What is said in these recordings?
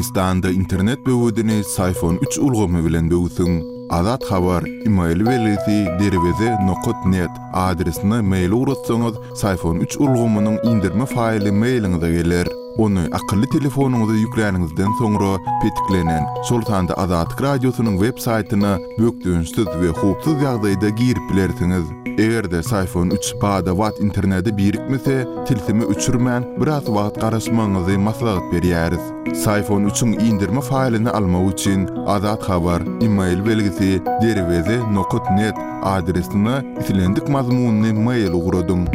Türkmenistanda internet böwedini Syfon üç ulgamy bilen böwsüň. Azat Habar, email belgisi derweze nokat net adresine mail ugratsaňyz, Syfon üç ulgamynyň indirme faýly mailiňize geler. Ony akylly telefonyňyza ýükläniňizden soňra petiklenen, şol sanda Azatlyk Radiosynyň web saýtyna bökdençsiz we howpsuz ýagdaýda girip bilersiňiz. Eger-de Syfon üç bada-bat internete birikmese, tilsimi öçürmän, biraz wagt garaşmagyňyzy maslahat berýäris. Syfon üçiň indirme faýlyny almak üçin Azat Habar, email belgisi, derweze nokat net adresine islendik mazmunly mail ugradyň.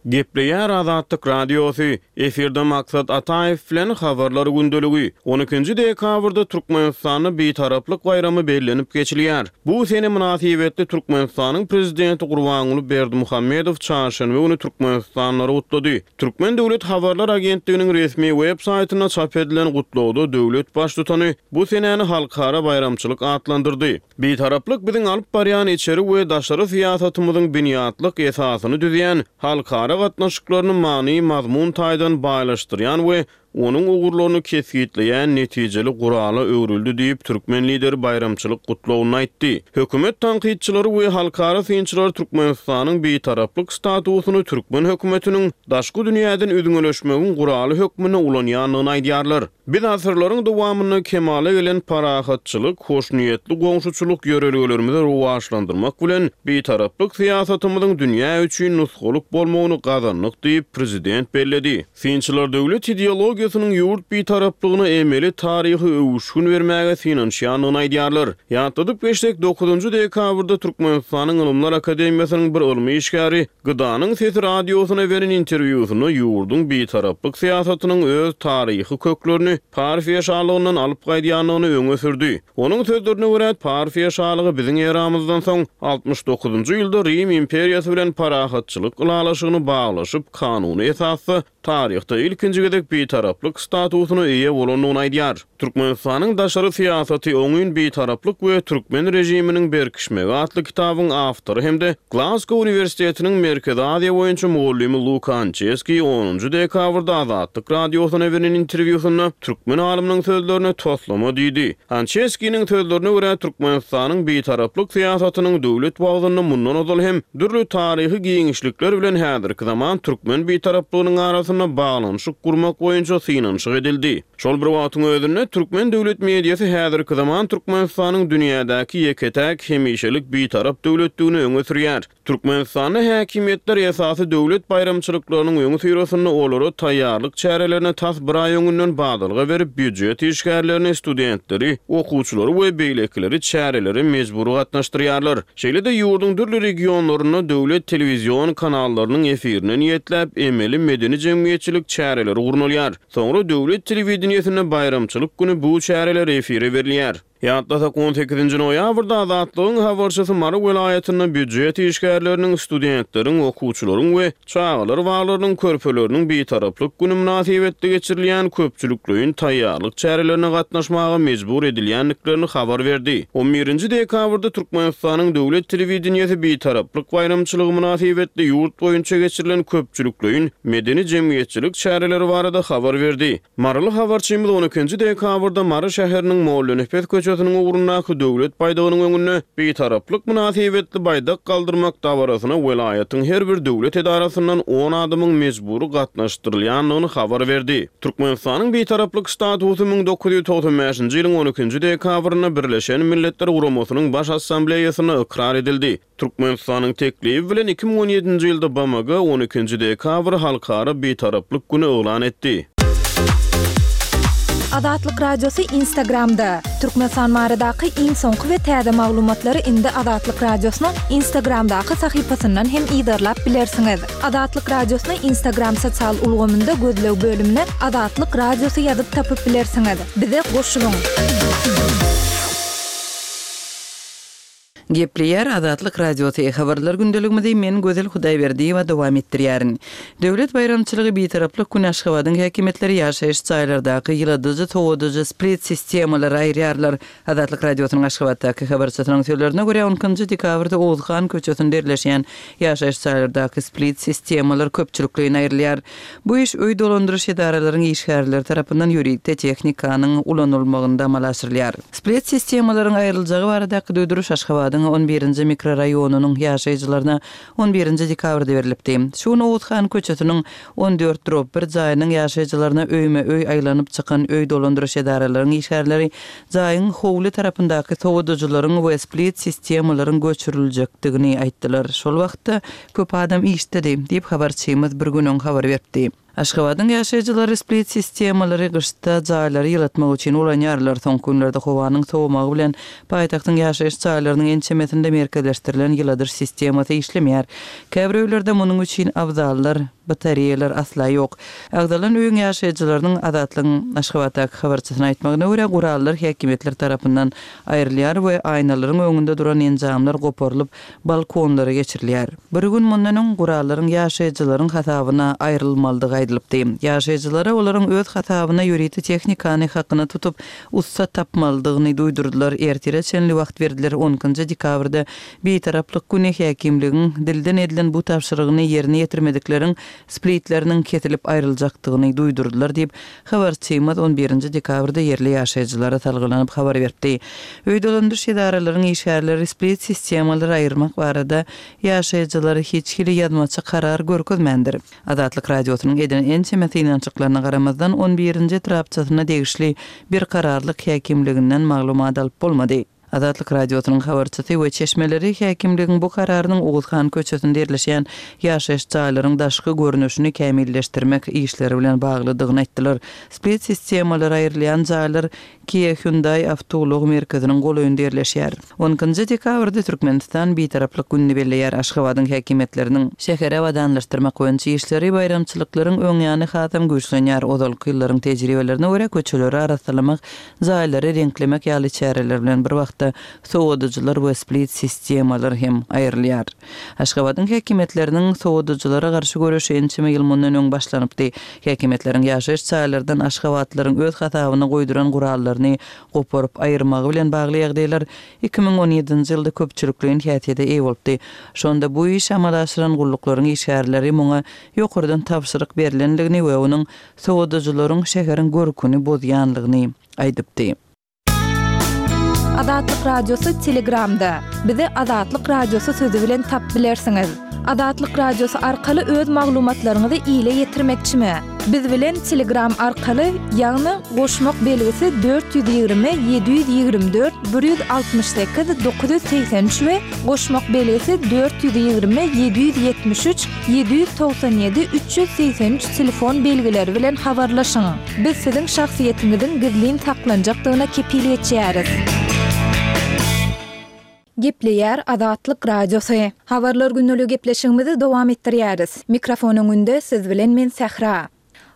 Gepleýär Azatlyk Radiosy, Efirde Maksat Ataýew bilen Habarlar gündeligi. On ikinji dekabrda Türkmenistanda Bitaraplyk baýramy bellenip geçilýär. Bu sene mynasybetli Türkmenistanyň Prezidenti Gurbanguly Berdimuhamedow çarşenbe güni türkmenistanlylary gutlady. Türkmen döwlet habarlar agentliginiň resmi web saýtynda çap edilen gutlagda döwlet Baştutany bu senäni halkara baýramçylyk atlandyrdy. Bitaraplyk biziň alyp barýan içeri we daşary syýasatymyzyň binýatlyk esasyny düzýän, halkara gatnaşyklaryny many-mazmun taýdan baýlaşdyrýan we onuň ugurlaryny kesgitleýän netijeli gurala öwrüldi diýip, türkmen Lideri baýramçylyk gutlagynda aýtdy. Hökümet tankytçylary we halkara synçylar Türkmenistanyň bitaraplyk statusyny türkmen hökümetiniň daşky dünýäden üzňeleşmegiň guraly hökmünde ulanýandygyny aýdýarlar. Biz asyrlaryň dowamynda kemala gelen parahatçylyk, hoşniýetli goňşuçylyk ýörelgelerimizi rowaçlandyrmak bilen, Bitaraplyk syýasatymyzyň dünýä üçin nusgalyk bolmagyny gazandyk diýip, prezident belledi. Synçylar döwlet ideologiýasynyň ýurt Bitaraplygyna emeli taryhy öwüşgin bermäge synanyşýandygyny aýdýarlar. Ýatladyp geçsek, dokuzynjy dekabrda Türkmenistanyň Ylymlar akademiýasynyň bir ylmy işgäri Gydanyň sesi radiosyna beren interwýusynda ýurduň bitaraplyk syýasatynyň öz taryhy köklerini Parfiýa şalygyndan alyp gaýdýandygyny öňe sürdi. Onuň sözlerine görä, Parfiýa şalygy biziň eramyzdan soň 69-njy ýylda Rim imperiýasy bilen parahatçylyk ylalaşygyny baglaşyp, kanuny esasda taryhda ilkinji gezek bitaraplyk statusyna eýe bolandygyny aýdýar. Türkmenistanyň daşary syýasaty, oňyn bitaraplyk we türkmen režiminiň berkişmegi atly kitabyň awtory hem-de Glazgo uniwersitetiniň Merkezi Aziýa boýunça mugallymy Luka Ançeskiý onunjy dekabrda Azatlyk Radiosyna beren interwýusynda türkmen alymynyň sözlerine toslama diýdi. Ançeskiniň sözlerine görä, Türkmenistanyň bitaraplyk syýasatynyň döwlet wagzynda mundan ozal hem dürli taryhy giňişlikler bilen häzirki zaman türkmen bitaraplygynyň arasynda baglanyşyk gurmak boýunça synanyşyk edildi. Şol bir wagtyň özünde, türkmen döwlet mediasy häzirki zaman Türkmenistanyň dünýädäki ýeke-täk hemişelik bitarap döwletdigini öňe sürýär. Türkmenistanda häkimiýetler esasy döwlet baýramçylyklarynyň öňüsyrasynda olara taýýarlyk çärelerine tas bir aý öňünden badalga berip, býujet işgärlerini, studentleri, okuwçylary we beýlekileri çärelere mejbury gatnaşdyrýarlar. Şeýle-de ýurduň dürli regionlarynda döwlet telewizion kanallarynyň efirine niýetläp emeli medeni-jemgyýetçilik çäreleri gurnalýar. Soňra döwlet telewideniýesinde baýramçylyk güni bu çäreler efire berilýär. Ýatlasak, on sekizinji noýabrda Azatlygyň habarçysy Mary welaýatynda býujet işgärleriniň, studentleriň, okuwçylaryň we çagalar baglarynyň körpeleriniň Bitaraplyk güni mynasybetli geçirilýän köpçülikleýin taýýarlyk çärelerine gatnaşmaga mejbur edilýändiklerini habar berdi. On birinji dekabrda Türkmenistanyň döwlet telewideniýesi Bitaraplyk baýramçylygy mynasybetli ýurt boýunça geçirilen köpçülikleýin medeni-jemgyýetçilik çäreleri barada habar berdi. Maryly habarçymyz on ikinji dekabrda Mary şäheriniň Mollanepes köçesiniň ugrundaky Döwlet baýdagynyň öňünde Bitaraplyk mynasybetli baýdak galdyrmak dabarasyna welaýatyň her bir döwlet edarasyndan on adamyň mejbury gatnaşdyrylýandygyny habar berdi. Türkmenistanyň Bitaraplyk statusy 1995-nji ýylyň on ikinji dekabrynda Birleşen Milletler Guramasynyň Baş Assambleýasynda ykrar edildi. Türkmenistanyň teklibi bilen 2017-nji ýylda BMG on ikinji dekabry Halkara Bitaraplyk güni yglan etdi. Azatlyk Radiosy Instagramda, Türkmenistan baradaky iň soňky we täze maglumatlary indi Azatlyk Radiosynyň Instagramdaky sahypasyndan hem yzarlap bilersiňiz. Azatlyk Radiosyny Instagram sosial ulgamynda gözleg bölümine Azatlyk Radiosy ýazyp tapyp bilersiňiz. Bize goşulyň! Gepleýär Azatlyk Radiosy, Habarlar gündeligimizi men Gözel Hudaýberdiýewa dowam etdirýärin. Döwlet baýramçylygy Bitaraplyk güni Aşgabadyň häkimiýetleri ýaşaýyş jaýlardaky ýyladyjy, sowadyjy, split sistemalary aýyrýarlar. Azatlyk Radiosynyň Aşgabatdaky habarçysynyň sözlerine görä, on ikinji dekabrda Oguzhan köçesinde ýerleşýän ýaşaýyş jaýlardaky split sistemalar köpçülikleýin aýrylýar. Bu iş öý dolandyryş edaralaryň işgärleri tarapyndan ýörite tehnikanyň ulanylmagynda amala aşyrylýar. Split sistemalaryň aýryljagy baradaky duýduryş Aşgabadyň on birinji mikroraýonynyň ýaşaýjylaryna on birinji dekabrda berlipdi. Şu gün Oguzhan köçesiniň on dört drob bir jaýynyň ýaşaýjylaryna öýme-öý aýlanyp çykan öý dolandyryş edaralaryň işgärleri jaýyň howly tarapyndaky sowadyjylaryň we split sistemalaryň göçüriljekdigini aýtdylar. Şol wagtda köp adam işdedi, diýip, habarçymyz bir gün öň habar beripdi. Aşgabadyň ýaşaýjylary split sistemalary gyşda jaýlary ýylatmak üçin ulanýarlar. Soňky günlerde howanyň sowamagy bilen paýtagtyň ýaşaýyş jaýlarynyň ençemesinde merkezleşdirilen ýyladyş sistemasy işlemeýär. Käbir öýlerde munuň üçin abzallar, batareýalar asla ýok. Agzalan öýüň ýaşaýjylarynyň Azatlygyň Aşgabatdaky habarçysyna aýtmagyna görä, gurallar häkimiýetler tarapyndan aýrylýar we aýnalaryň öňünde duran enjamlar goparylyp, balkonlara geçirilýär. Bir gün mundan öň gurallaryň ýaşaýjylaryň hasabyna aýrylmalydygy aýdylypdy. Ýaşaýjylara olaryň öz hasabyna ýörite tehnikany hakyna tutup, ussa tapmalydygyny duýdurdylar, ertire çenli wagt berdiler, on ikinji dekabrda Bitaraplyk güni häkimligiň dilden edilen bu tabşyrygyny ýerine ýetirmedikleriň splitleriniň kesilip aýryljakdygyny duýdurdylar diýip, habarçymyz on birinji dekabrda ýerli ýaşaýjylara salgylanyp habar beripdi. Öý dolandyryş edaralaryň işgärleri split sistemalary aýyrmak barada ýaşaýjylara hiç hili ýazmaça karar görkezmändir. Azatlyk Radiosynyň eden ençeme synanyşyklaryna garamazdan, on birinji etrapçasyna degişli Berkararlyk häkimliginden maglumat alyp bolmady. Azatlyk Radiosynyň habarçysy we çeşmeleri häkimligiň bu kararynyň Oguzhan köçesinde ýerleşýän ýaşaýyş jaýlaryň daşky görnüşini kämilleşdirmek işleri bilen baglydygyny aýtdylar. Split sistemalary aýrylýan jaýlar Kia Hyundai awtoulag merkeziniň golaýynda ýerleşýär. On ikinji dekabrda Türkmenistan Bitaraplyk gününi belleýär. Aşgabadyň häkimiýetleriniň şäheri abadanlaşdyrmak boýunça işleri baýramçylyklaryň öňýany hasam güýçlenýär. Ozalky ýyllaryň tejribelerine görä, köçeleri arassalamak Jaýlary reňklemek ýaly çäreler bilen bir wagtda sowadyjylar we split sistemalar hem aýrylýar. Aşgabadyň häkimiýetleriniň sowadyjylara garşy göreşi ençeme ýyl mundan öň başlanypdy. Häkimiýetleriň ýaşaýyş jaýlardan aşgabatlylaryň öz hasabyna goýduran gurallaryny goparyp aýyrmagy bilen bagly ýagdaýlar 2017-nji ýylda köpçülikleýin häsiýete eýe bolupdy. Şonda bu işi amala aşyran gulluklaryň işgärleri muňa ýokardan tabşyryk berlendigini we onuň sowadyjylaryň şäheriň görküni bozýanlygyny aýdypdy. Azatlyk Radiosy Telegramda. Bizi Azatlyk Radiosy sözi bilen tap bilersiňiz. Azatlyk Radiosy arkaly öz maglumatlaryňyzy ile ýetirmekçimi? Biz bilen Telegram arkaly, ýagny goşmak belgisi 420 724 168 983 we goşmak belgisi 420 773 797 383 telefon belgileri bilen habarlaşyň. Biz siziň şahsyýetiňiziň gizlin saklanjakdygyna kepil geçýäris. Gepleýär Azatlyk Radiosy. Habarlar gündeligi gepleşigimizi dowam etdirýäris. Mikrofon öňünde siz bilen men Sähra.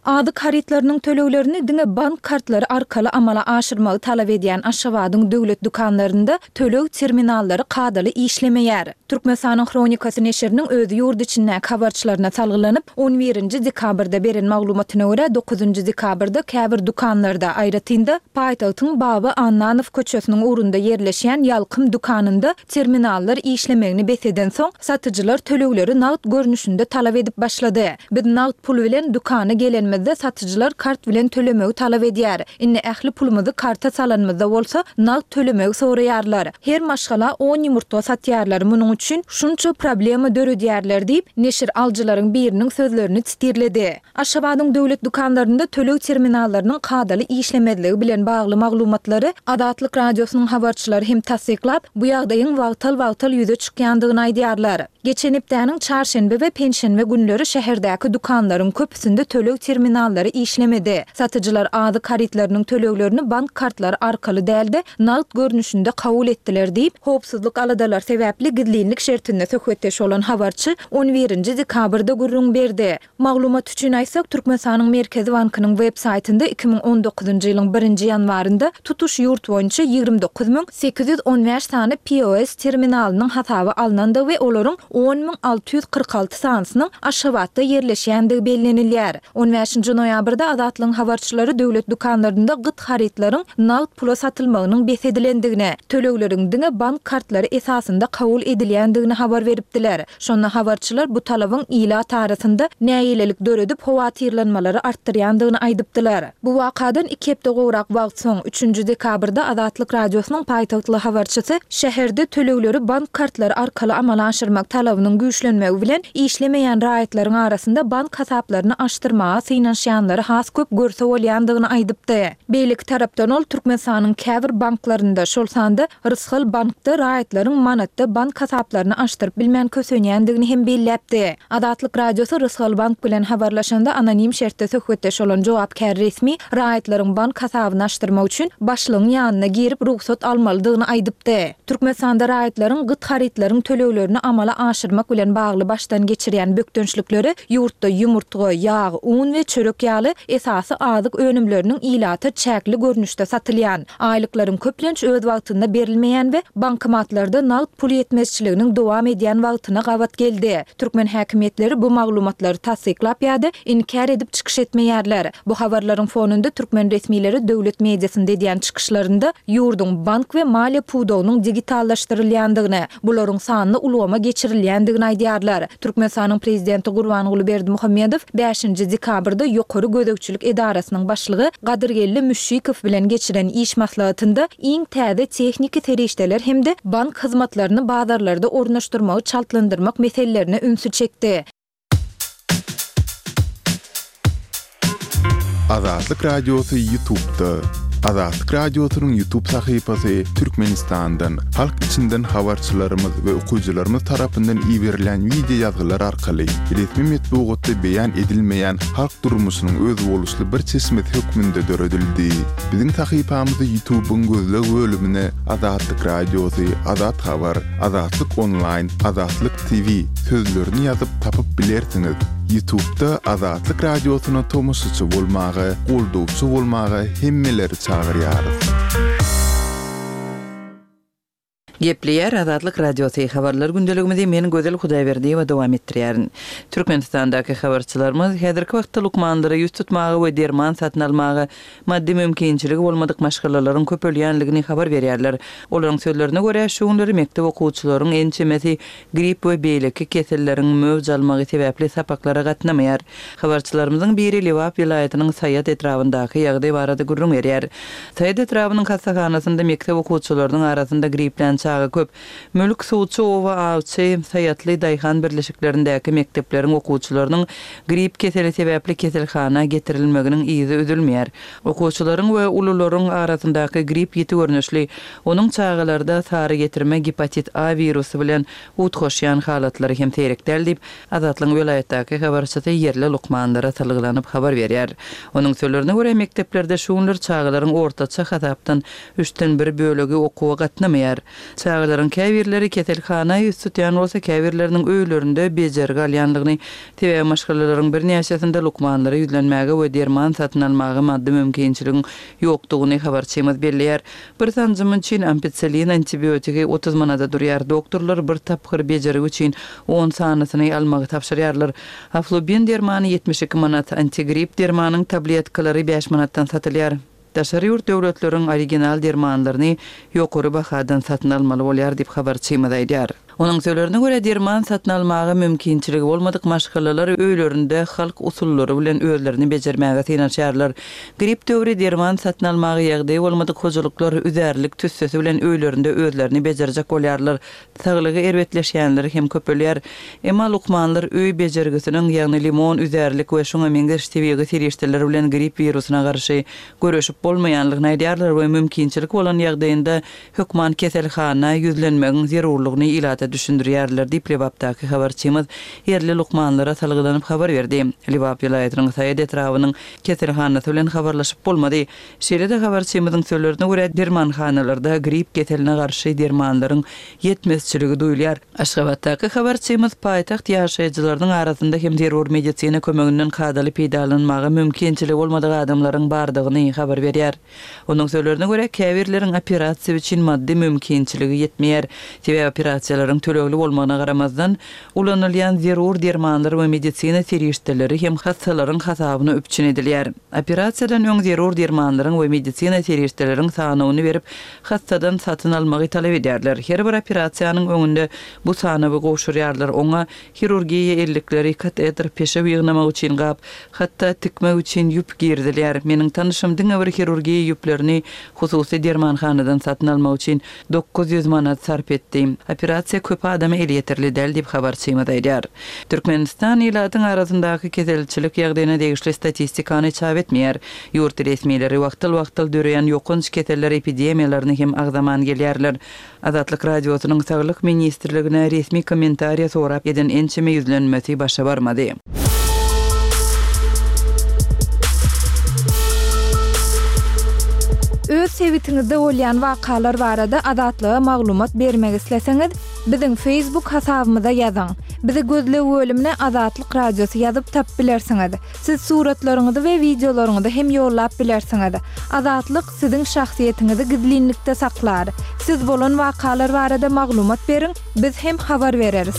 Azyk harytlarynyň töleglerini diňe bank kartlary arkaly amala aşyrmagy talap edýän Aşgabadyň döwlet dükanlarynda töleg terminallary kadaly işlemeýär. Türkmenistanyň Hronikasy neşiriniň öz ýurt içindäki habarçylaryna salgylanyp, on birinji dekabrda beren maglumatyna görä, dokuzynjy dekabrda käbir dükanlarda, aýratyn-da, paýtagtyň Baba Annanow köçesiniň ugrunda ýerleşýän Ýalkym dükanynda terminallar işlemegini bes edensoň, satyjylar tölegleri nagt görnüşinde talap edip başlady. Biz nagt pul bilen dükana gelenimizde satyjylar kart bilen tölemegi talap edýär. Indi ähli pulumyzy karta salanymyzda bolsa, nagt tölemegi soraýarlar. Her maşgala on ýumurtga satýarlar, munuň üçin şunça problema döredýärler diýip, neşir alyjylaryň biriniň sözlerini titirledi. Aşgabadyň döwlet dükanlarynda töleg terminallarynyň kadaly işlemezligi bilen bagly maglumatlary Azatlyk Radiosynyň habarçylary hem tassyklap, bu ýagdaýyň wagtal-wagtal ýüze çykýandygyny aýdýarlar. Geçen hepdäniň çarşenbe we penşenbe günleri şäherdäki dükanlaryň köpüsinde töleg terminallarynyň. terminallary işlemedi. Satyjylar azyk harytlarynyň töleglerini bank kartlary arkaly däl-de, nagt görnüşinde kabul etdiler diýip, howpsuzlyk aladalary sebäpli gizlinlik şertinde söhbetdeş bolan habarçy on birinji dekabrda gürrüň berdi. Maglumat üçin aýtsak, Türkmenistanyň Merkezi bankynyň web saýtynda 2019-njy ýylyň birinji ýanwarynda tutuş ýurt boýunça 29 815 sany POS terminalynyň hasaba alnandygy we olaryň 10 646 sanysynyň Aşgabatda ýerleşýändigi bellenilýär. On bäşinji noýabrda Azatlygyň habarçylary döwlet dükanlarynda gyt harytlaryň nagt pula satylmagynyň bes edilendigini, tölegleriň diňe bank kartlary esasynda kabul edilýändigini habar beripdiler. Şonda habarçylar bu talabyň ilat arasynda nägilelik döredip, howatyrlanmalary artdyrýandygyny aýdypdylar. Bu wakadan iki hepde gowrak wagt soň, üçünji dekabrda Azatlyk Radiosynyň paýtagtly habarçysy şäherde tölegleri bank kartlary arkaly amala aşyrmak talabynyň güýçlenmegi bilen, işlemeýän raýatlaryň arasynda bank hasaplaryny açdyrmaga synanyşýanlary has köp görse bolýandygyny aýdypdy. Beýleki tarapdan ol Türkmenistanyň käbir banklarynda, şol sanda Rysgal bankda raýatlaryň manatda bank hasaplaryny açdyryp bilmän kösenýändigini hem belläpdi. Azatlyk Radiosy Rysgal bank bilen habarlaşanda anonim şertde söhbetdeş bolan jogapkär resmi raýatlaryň bank hasabyny açdyrmak üçin başlygyň ýanyna girip rugsat almalydygyny aýdypdy. Türkmenistanda raýatlaryň gyt harytlaryň töleglerini amala aşyrmak bilen bagly başdan geçirýän bökdençlikleri ýurtda ýumurtga, ýag, un we çörek ýaly esasy azyk önümleriniň ilata çäkli görnüşde satylýan, Aýlyklaryň köplenç öz wagtynda berilmeýän we bankomatlarda nagt pul ýetmezçiliginiň dowam edýän wagtyna gabat geldi. Türkmen häkimiýetleri bu maglumatlary tassyklap ýa-da inkär edip çykyş etmeýärler. Bu habarlaryň fonunda türkmen resmileri döwlet mediasynda edýän çykyşlarynda ýurduň bank we maliýe pudagynyň digitallaşdyrylýandygyny, bularyň sanly ulgama geçirilýändigini aýdýarlar. Türkmenistanyň Prezidenti Gurbanguly Berdimuhamedow bäşinji dekabrda Ýokary gözegçilik edarasynyň başlygy Gadyrgeldi Müşşikow bilen geçiren iş maslahatynda iň täze tehniki serişdeler hem-de bank hyzmatlaryny bazarlarda ornaşdyrmagy çaltlandyrmak meselelerine ünsi çekdi. Azatlyk Radiosy Ýutubda. Azatlyk Radiosynyň Ýutub sahypasy Türkmenistandan, halk içinden habarçylarymyz we okyjylarymyz tarapyndan iberilýän wideo ýazgylar arkaly resmi metbugatda beýan edilmeýän halk durmuşynyň özboluşly bir çeşmesi hökmünde döredildi. Biziň sahypamyzy Ýutubyň gözleg bölümine Azatlyk Radiosy, Azat Habar, Azatlyk Onlaýn, Azatlyk TV sözlerini ýazyp tapyp bilersiňiz. Ýutubda Azatlyk Radiosyna tomaşaçy bolmaga, goldawçy bolmaga hemmeleri çagyrýarys. Gepleýär Azatlyk Radiosy, Habarlar gündeligimizi men Gözel Hudaýberdiýewa dowam etdirýärin. Türkmenistandaky habarçylarymyz häzirki wagtda lukmanlara ýüz tutmaga we derman satyn almaga maddy mümkinçiligi bolmadyk maşgalalaryň köpelýänligini habar berýärler. Olaryň sözlerine görä, şu günleri mekdep okuwçylaryň ençemesi grip we beýleki keselleriň möwç almagy sebäpli sapaklara gatnamaýar. Habarçylarymyzyň biri Lebap welaýatynyň Saýat etrabyndaky ýagdaý barada gürrüň berýär. Saýat etrabynyň hassahanasynda mekdep okuwçylarynyň arasynda griplän çaga köp. Mülk, Suwçy oba, Awçy, Saýatly daýhan birleşiklerindäki mekdepleriň okuwçylarynyň grip keseli sebäpli keselhana getirilmeginiň yzy üzülmeýär. Okuwçylaryň we ulularyň arasyndaky grip ýiti görnüşli, onuň çagalarda sary getirme gepatit A wirusy bilen utgaşýan halatlary hem seýrek däl diýip, Azatlygyň welaýatdaky habarçysy ýerli lukmanlara salgylanyp habar berýär. Onuň sözlerine görä, mekdeplerde şu günler çagalaryň ortaça hasapdan üçden bir bölegi okuwa gatnamaýar. Çagalaryň käbirleri keselhana ýüz tutýan bolsa, käbirleriniň öýlerinde bejergi alýandygyny, sebäbi maşgalalaryň birnäçesinde lukmanlara ýüzlenmäge we derman satyn almaga maddy mümkinçiligiň ýokdugyny habarçymyz belleýär. Bir sanjym üçin ampicillin antibiotigi 30 manada durýar. Doktorlar bir tapgyr bejergi üçin on sanysyny almagy tabşyrýarlar. Aflubin dermany 72 manat, antigrip dermanyň tabletkalary bäş manatdan satylýar. Daşary ýurt döwletleriň original dermanlaryny ýokary bahadan satyn almaly bolýar diýip, habarçymyz aýdýar. Onuň sözlerine görä, derman satyn almaga mümkinçiligi bolmadyk maşgalalar öýlerinde halk usullary bilen özlerini bejermäge synanyşýarlar. Grip döwri derman satyn almaga ýagdaýy bolmadyk hojalyklar üzärlik tüssesi bilen öýlerinde özlerini bejerjek bolýarlar. Saglygy erbetleşýänleri hem köpelýär. Emma lukmanlar öý bejergisiniň, ýagny limon, üzärlik we şuňa meňzeş tebigy serişdeler bilen grip wirusyna garşy göreşip bolmaýanlygyny aýdýarlar we mümkinçilik bolan ýagdaýynda hökman keselhana ýüzlenmegiň zerurlygyny ilata. düşündirýärler diýip, Lebapdaky habarçymyz ýerli lukmanlara salgylanyp habar berdi. Lebap welaýatynyň Saýat etrabynyň keselhanasy bilen habarlaşyp bolmady. Şeýle-de habarçymyzyň sözlerine görä, dermanhanalarda grip keseline garşy dermanlaryň ýetmezçiligi duýulýar. Aşgabatdaky habarçymyz paýtagt ýaşaýjylarynyň arasynda hem zerur medisina kömeginden kadaly peýdalanmaga mümkinçiligi bolmadyk adamlaryň bardygyny habar berýär. Onuň sözlerine görä, käbirleriň operasiýa üçin maddy mümkinçiligi ýetmeýär. Sebäbi operasiýalaryň tölegli bolmagyna garamazdan, ulanylýan zerur dermanlar we medisina serişdeleri hem hassalaryň hasabyna üpjün edilýär. Operasiýadan öň zerur dermanlaryň we medisina serişdeleriň sanawyny berip, hassadan satyn almagy talap edýärler. Her bir operasiýanyň öňünde bu sanawy gowşurýarlar, oňa hirurgiýa ellikleri, kateter, peşew ýygnamak üçin gap, hatda tikmek üçin ýüp girizilýär. Meniň tanyşym diňe bir hirurgiýa ýüplerini hususy dermanhanadan satyn almak üçin 900 manat sarp etdi. Operasiýa köp adama elýeterli däl diýip, habarçymyz aýdýar. Türkmenistan ilatyň arasyndaky keselçilik ýagdaýyna degişli statistikany çap etmeýär. Ýurt resmileri wagtal-wagtal döreýän ýokanç keseller epidemiýalaryny hem agzaman gelýärler. Azatlyk Radiosynyň Saglyk ministrligine resmi kommentariýa sorap eden ençeme ýüzlenmesi başa barmady. Öz sebitiňizde bolýan wakalar barada Azatlyga maglumat bermek isleseňiz, biziň Facebook hasabymyza ýazyň. Bizi gözleg bölümine Azatlyk Radiosy ýazyp tapyp bilersiňiz. Siz suratlaryňyzy we wideolaryňyzy hem ýollap bilersiňiz. Azatlyk siziň şahsyýetiňizi gizlinlikde saklar. Siz bolan wakalar barada maglumat beriň, biz hem habar bereris.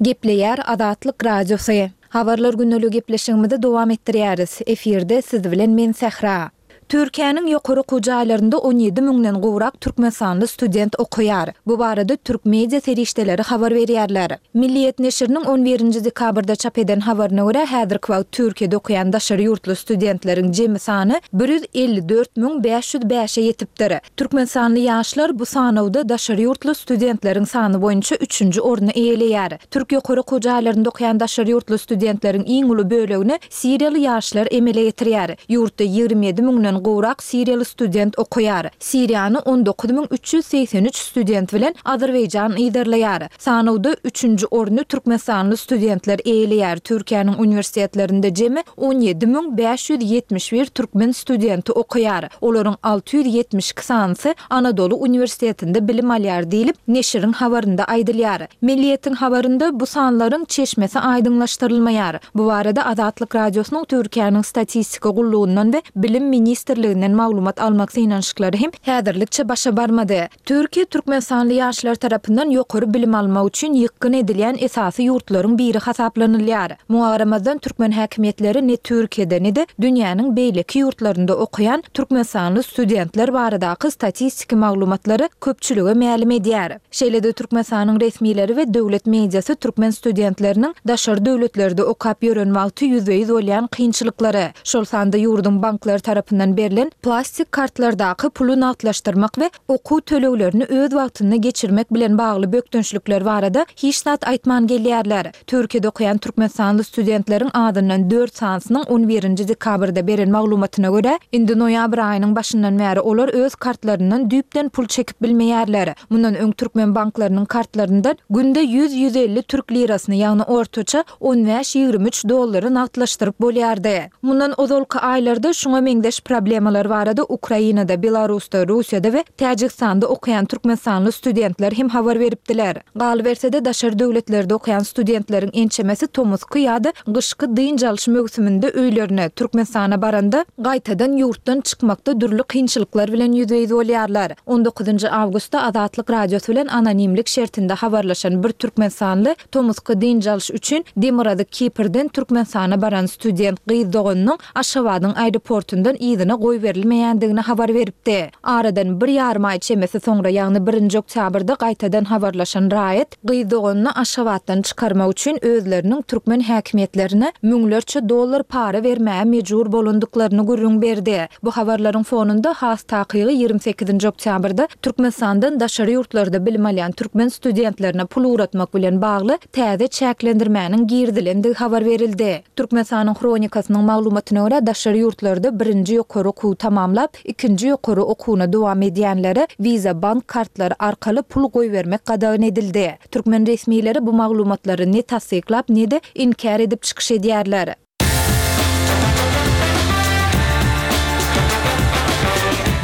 Gepleýär Azatlyk Radiosy. Habarlar gündeligi gepleşigimizi dowam etdirýäris. Efirde siz bilen men Sähra. Türkiýäniň ýokary okuw jaýlarynda 17 müňden gowrak türkmenistanly student okaýar. Bu barada türk media serişdeleri habar berýärler. Milliýet neşiriniň on birinji dekabrda çap eden habaryna görä, häzirki wagt Türkiýede okaýan daşary ýurtly studentleriň jemi sany 154 505-e ýetipdir. Türkmenistanly ýaşlar bu sanawda daşary ýurtly studentleriň sany boýunça üçünji orny eýeleýär. Türk ýokary okuw jaýlarynda okaýan daşary ýurtly studentleriň iň uly bölegini Siriýaly ýaşlar emele getirýär. Ýurtda 27 müňden gowrak siriýaly student okaýar. Siriýany 19 383 student bilen Azerbaýjan yzarlaýar. Sanawda üçünji orny türkmenistanly studentler eýeleýär. Türkiýäniň uniwersitetlerinde jemi 17 571 türkmen studenti okaýar. Olaryň 672 sanysy Anadoly uniwersitetinde bilim alýar diýlip, neşiriň habarynda aýdylýar. Milliýetiň habarynda bu sanlaryň çeşmesi aýdyňlaşdyrylmaýar. Bu barada Azatlyk Radiosynyň Türkiýäniň Statistika gullugyndan we Bilim ministrliginden maglumat almak synanyşyklary hem häzirlikçe başa barmady. Türkiýe türkmenistanly ýaşlar tarapyndan ýokary bilim almak üçin ýykgyn edilýän esasy ýurtlaryň biri hasaplanylýar. Muňa garamazdan, türkmen häkimiýetleri ne Türkiýede, ne-de dünýäniň beýleki ýurtlarynda okaýan türkmenistanly studentler baradaky statistiki maglumatlary köpçülige mälim edýär. Şeýle-de Türkmenistanyň resmileri we döwlet mediasy türkmen studentleriniň daşary döwletlerde okap ýören wagty ýüzbe-ýüz bolýan kynçylyklary, şol sanda ýurduň banklary tarapyndan berlen plastik kartlardaky puly nagtlaşdyrmak we okuw töleglerini öz wagtynda geçirmek bilen bagly bökdençlikler barada hiç zat aýtman gelýärler. Türkiýede okaýan türkmenistanly studentleriň azyndan dört sanysynyň on birinji dekabrda beren maglumatyna görä, indi noýabr aýynyň başyndan bäri olar öz kartlaryndan düýpden pul çekip bilmeýärler. Mundan öň türkmen banklarynyň kartlaryndan günde ýüz-ýüz elli türk lirasyny, ýagny ortaça on bäş-ýigrimi üç dollary nagtlaşdyryp bolýardy. Mundan ozalky aýlarda şuňa meňzeş problemalar barada Ukrainada, Belarusda, Russiýada we Täjigistanda okaýan türkmenistanly studentler hem habar beripdiler. Galyberse-de, daşary döwletlerde okaýan studentleriň ençemesi tomusky ýa-da gyşky dynç alyş möwsüminde öýlerine, Türkmenistana baranda, gaýtadan ýurtdan çykmakda dürli kynçylyklar bilen ýüzbe-ýüz bolýarlar. On dokuzynjy awgustda Azatlyk Radiosy bilen anonimlik şertinde habarlaşan bir türkmenistanly tomusky dynç alyş üçin Demirgazyk Kiprden Türkmenistana baran student gyz doganynyň Aşgabadyň aeroportundan yzyna goýberilmeýändigini habar beripdi. Aradan bir ýarym aý çemesi soňra, ýagny birinji oktýabrda gaýtadan habarlaşan raýat gyz doganyny Aşgabatdan çykarmak üçin özleriniň türkmen häkimiýetlerine müňlerçe dollar para bermäge mejbur bolandyklaryny gürrüň berdi. Bu habarlaryň fonunda, has takygy 28 sekizinji oktýabrda Türkmenistandan daşary ýurtlarda bilim alýan türkmen studentlerine pul ugratmak bilen bagly täze çäklendirmäniň girizilendigi habar berildi. Türkmenistanyň Hronikasynyň maglumatyna görä, daşary ýurtlarda birinji ýokary. ýokary okuwy tamamlap, ikinji ýokary okuwyna dowam edýänlere Visa bank kartlary arkaly pul goýbermek gadagan edildi. Türkmen resmileri bu maglumatlary ne tassyklap, ne-de inkär edip çykyş edýärler.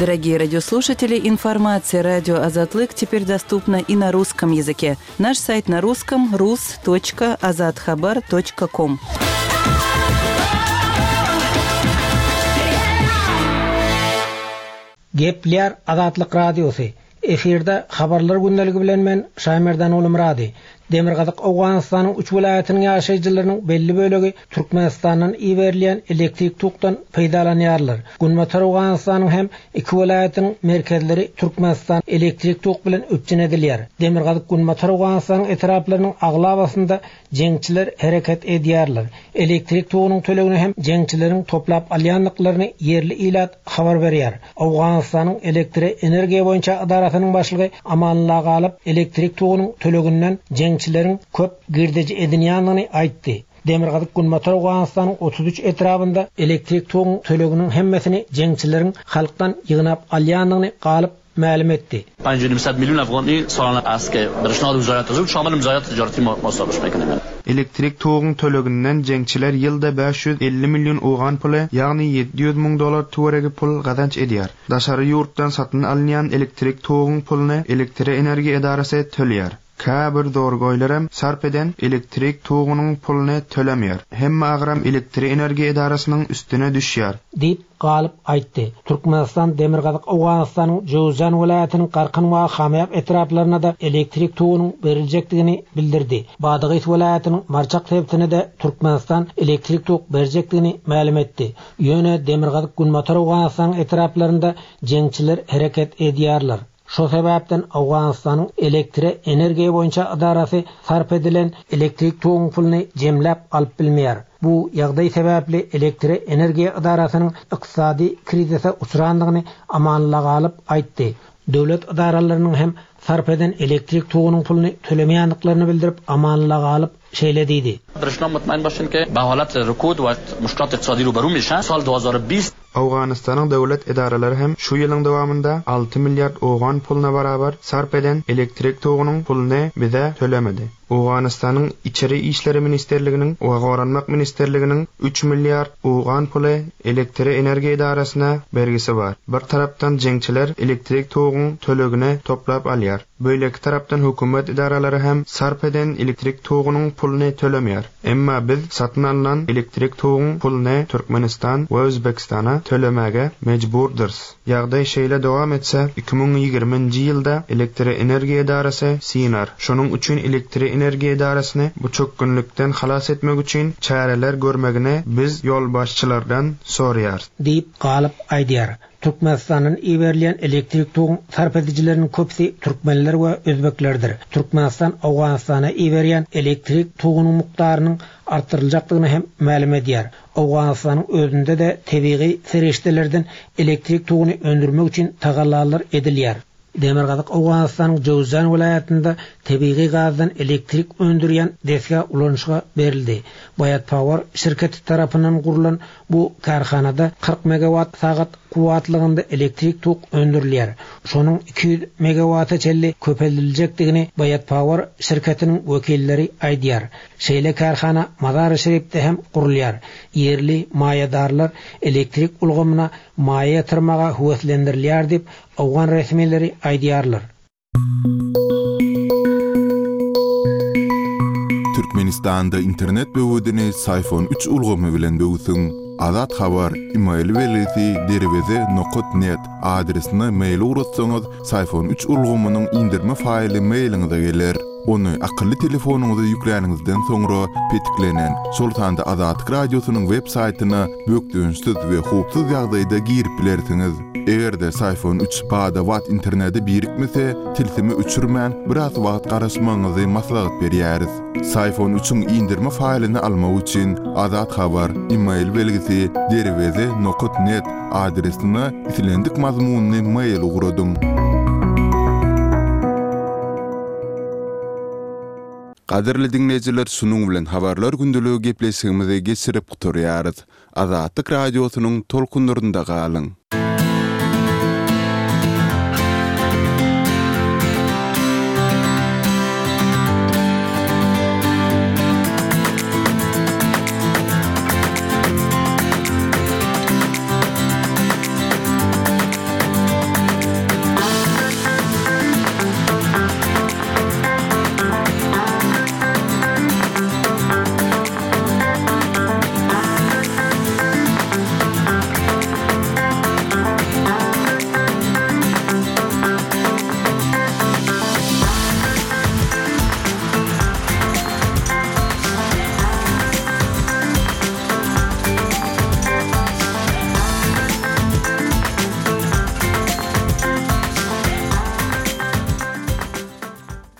Дорогие радиослушатели, информация радио Азатлык теперь доступна и на русском языке. Наш сайт на русском rus.azathabar.com. Gepleýär Azatlyk Radiosy, Efirde Habarlar gündeligi bilen men, Şaýmerdan Ulumyrady. Demirgazyk Owganystanyň üç welaýatynyň ýaşaýjylarynyň belli bölegi Türkmenistandan iberilýän elektrik tokdan peýdalanýarlar. Günbatar Owganystanyň hem iki welaýatynyň merkezleri Türkmenistan elektrik tok bilen üpjün edilýär. Demirgazyk-Günbatar Owganystanyň etraplarynyň aglabasynda jeňçiler hereket edýärler. Elektrik togunyň tölegini hem jeňçileriň toplap alýandyklaryny ýerli ilat habar berýär. Owganystanyň elektre energiýa boýunça edarasynyň başlygy Amanullah Galyp elektrik togunyň töleginden jeňçileriň köp girdeji edinýändigini aýtdy. Demirgazyk-Günbatar Owganystanyň 33 etrabynda elektrik toguň töleginiň hemmesini jeňçileriň halkdan ýygnap alýandygyny Galyp mälim etdi. Elektrik toguň töleginden jeňçiler ýylda 550 million owgan puly, ýagny 700 müň dollar töweregi pul gazanç edýär. Daşary ýurtdan satyn alynýan elektrik toguň puluny Elektroenergiýa edarasy töleýär. Käbir zorgoýlaram sarp eden elektrik togunyň puluny tölemeýär. Hemme agram Elektroenergiýa edarasynyň üstüne düşýär. Diýip, Galyp aýtdy. Türkmenistan Demirgazyk Owganystanyň Jöwüzjan welaýatynyň Garkyn we Hamyýap etraplaryna-da elektrik togunyň beriljekdigini bildirdi. Badagys welaýatynyň Marçak sebitine-de Türkmenistan elektrik tok berjekdigini mälim etdi. Ýöne Demirgazyk-Günbatar Owganystanyň etraplarynda jeňçiler hereket edýärler. Şo sebäpden Owganystanyň elektre energiýa boýunça ydarasy sarp edilen elektrik toguň puluny jemläp alyp bilmeýär. Bu ýagdaý sebäpli elektre energiýa ydarasynyň ykdysady krizise uçrandygyny Amanullah Galyp aýtdy. Döwlet ydaralarynyň hem sarp eden elektrik togunyň puluny tölemeýändiklerini bildirip Amanullah Galyp şeýle diýdi. Owganystanyň döwlet edaralary hem şu ýylyň dowamynda alty milliard owgan puluna barabar sarp eden elektrik togunyň puluny bize tölemedi. Owganystanyň Içeri işleri ministrliginiň we Goranmak ministrliginiň üç milliard owgan puly Elektroenergiýa edarasyna bergisi bar. Bir tarapdan jeňçiler elektrik toguň tölegini toplap alýar. Beýleki tarapdan hökümet edaralary hem sarp eden elektrik togunyň puluny tölemeýär. Emma biz satyn alnan elektrik toguň puluny Türkmenistan we Özbekistana tölemäge mejburdyrys. Ýagdaý şeýle dowam etse, 2020 nji ýylda Elektroenergiýa edarasy synar. Şonuň üçin Elektroenergiýa edarasyny bu çökgünlikden halas etmek üçin çäreler görmegini biz ýolbaşçylardan soraýarys. Diýip, Galyp aýdýar. Türkmenistandan iberilýän elektrik toguň sarp edijileriniň köpüsi türkmenler we özbeklerdir. Türkmenistan Owganystana iberýän elektrik togunyň mukdarynyň artdyryljakdygyny hem mälim edýär. Owganystanyň özünde-de tebigy serişdelerden elektrik toguny öndürmek üçin tagallalar edilýär. Demirgazyk Owganystanyň Jöwüzjan welaýatynda tebigy gazdan elektrik öndürýän desga ulanyşyga berildi. Bayat Power şirketi tarapyndan gurlan bu kärhanada 40 megawat sagat kuwwatlygynda elektrik tok öndürilýär. Şonuň 200 megawata çenli köpeldiljekdigini Bayat Power şirketiniň wekilleri aýdýar. Şeýle kärhana Mazary-Şerifde hem gurulýar. Ýerli maýadarlar elektrik ulgamyna maýa ýatyrmaga höweslendirilýär diýip, Owgan resmileri aýdýarlar. Türkmenistanda internet böwedini Syfon üç ulgamy bilen böwsüň. Azat Habar, email belgisi derweze nokat net adresine mail ugratsaňyz Syfon üç ulgamynyň indirme faýly mailiňize geler. Ony akylly telefonyňyza ýükläniňizden soňra petiklenen, şol sanda Azatlyk Radiosynyň web saýtyna bökdençsiz we howpsuz ýagdaýda girip bilersiňiz. Eger-de Syfon üç bada-bat internete birikmese, tilsimi öçürmän, biraz wagt garaşmagyňyzy maslahat berýäris. Syfon üçiň indirme faýlyny almak üçin Azat Habar, email belgisi, derweze nokat net adresine islendik mazmunly mail ugradyň. Gadyrly diňleýjiler şunuň bilen Habarlar gündeligi gepleşigimizi geçirip gutarýarys. Azatlyk Radiosynyň tolkunlarynda galyň!